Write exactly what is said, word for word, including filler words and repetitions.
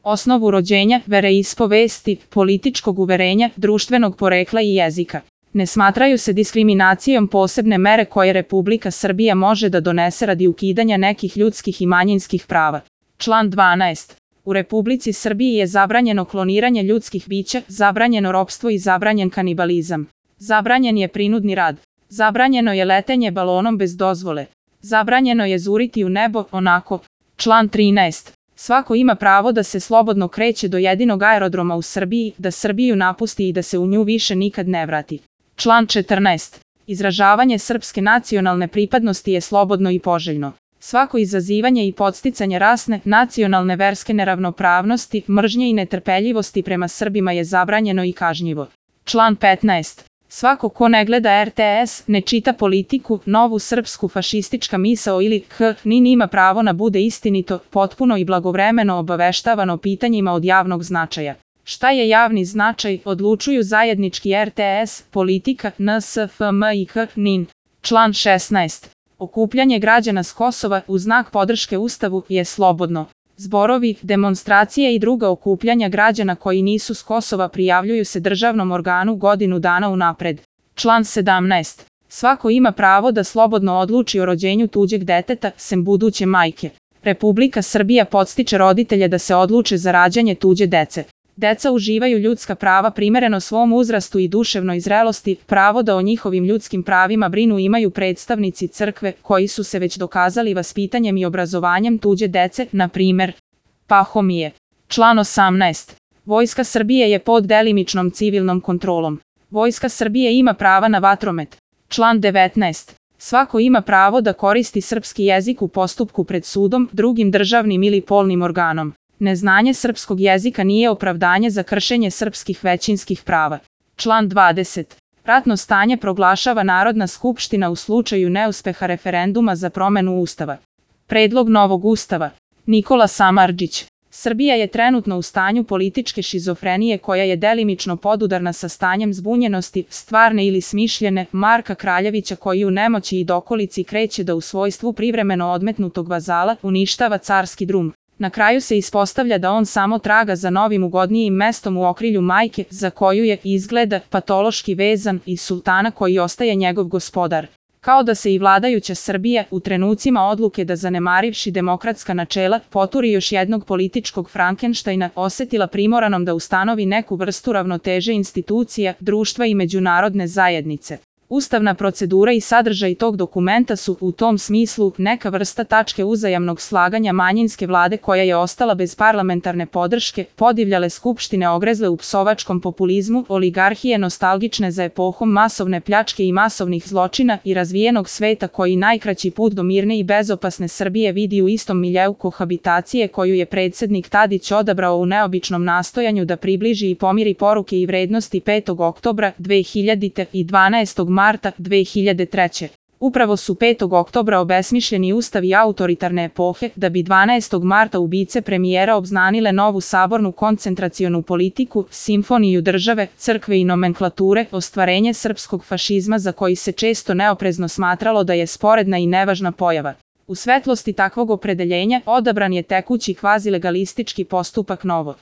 osnovu rođenja, veroispovesti, političkog uverenja, društvenog porekla i jezika. Ne smatraju se diskriminacijom posebne mere koje Republika Srbija može da donese radi ukidanja nekih ljudskih i manjinskih prava. Član dvanaest. U Republici Srbiji je zabranjeno kloniranje ljudskih bića, zabranjeno ropstvo i zabranjen kanibalizam. Zabranjen je prinudni rad. Zabranjeno je letenje balonom bez dozvole. Zabranjeno je zuriti u nebo onako. Član trinaest. Svako ima pravo da se slobodno kreće do jedinog aerodroma u Srbiji, da Srbiju napusti i da se u nju više nikad ne vrati. Član četrnaest. Izražavanje srpske nacionalne pripadnosti je slobodno i poželjno. Svako izazivanje i podsticanje rasne, nacionalne, verske neravnopravnosti, mržnje i netrpeljivosti prema Srbima je zabranjeno i kažnjivo. Član petnaest. Svako ko ne gleda er te es, ne čita Politiku, Novu srpsku, fašistička misao ili K N I N ima pravo na bude istinito, potpuno i blagovremeno obaveštavano pitanjima od javnog značaja. Šta je javni značaj, odlučuju zajednički er te es, Politika, N S F M i K N I N. Član šesnaest. Okupljanje građana s Kosova u znak podrške Ustavu je slobodno. Zborovi, demonstracije i druga okupljanja građana koji nisu s Kosova prijavljuju se državnom organu godinu dana unapred. Član sedamnaest. Svako ima pravo da slobodno odluči o rođenju tuđeg deteta, sem buduće majke. Republika Srbija podstiče roditelje da se odluče za rađanje tuđe dece. Deca uživaju ljudska prava primereno svom uzrastu i duševnoj zrelosti, pravo da o njihovim ljudskim pravima brinu imaju predstavnici crkve, koji su se već dokazali vaspitanjem i obrazovanjem tuđe dece, na primer Pahomije. Član osamnaest. Vojska Srbije je pod delimičnom civilnom kontrolom. Vojska Srbije ima prava na vatromet. Član devetnaest. Svako ima pravo da koristi srpski jezik u postupku pred sudom, drugim državnim ili polnim organom. Neznanje srpskog jezika nije opravdanje za kršenje srpskih većinskih prava. Član dvadeset. Ratno stanje proglašava Narodna skupština u slučaju neuspeha referenduma za promenu Ustava. Predlog novog Ustava. Nikola Samardžić. Srbija je trenutno u stanju političke šizofrenije koja je delimično podudarna sa stanjem zbunjenosti, stvarne ili smišljene, Marka Kraljevića koji u nemoći i dokolici kreće da u svojstvu privremeno odmetnutog vazala uništava carski drum. Na kraju se ispostavlja da on samo traga za novim ugodnijim mestom u okrilju majke, za koju je, izgleda, patološki vezan, i sultana koji ostaje njegov gospodar. Kao da se i vladajuća Srbija, u trenucima odluke da zanemarivši demokratska načela, poturi još jednog političkog Frankenštajna, osetila primoranom da ustanovi neku vrstu ravnoteže institucija, društva i međunarodne zajednice. Ustavna procedura i sadržaj tog dokumenta su, u tom smislu, neka vrsta tačke uzajamnog slaganja manjinske vlade koja je ostala bez parlamentarne podrške, podivljale skupštine ogrezle u psovačkom populizmu, oligarhije nostalgične za epohom masovne pljačke i masovnih zločina i razvijenog sveta koji najkraći put do mirne i bezopasne Srbije vidi u istom miljeu kohabitacije koju je predsednik Tadić odabrao u neobičnom nastojanju da približi i pomiri poruke i vrednosti petog oktobra dve hiljadite i dvanaestog marta dve hiljade treće. Upravo su petog oktobra obesmišljeni ustavi autoritarne epohe, da bi dvanaestog marta ubice premijera obznanile novu sabornu koncentracionu politiku, simfoniju države, crkve i nomenklature, ostvarenje srpskog fašizma za koji se često neoprezno smatralo da je sporedna i nevažna pojava. U svetlosti takvog opredeljenja odabran je tekući kvazilegalistički postupak novo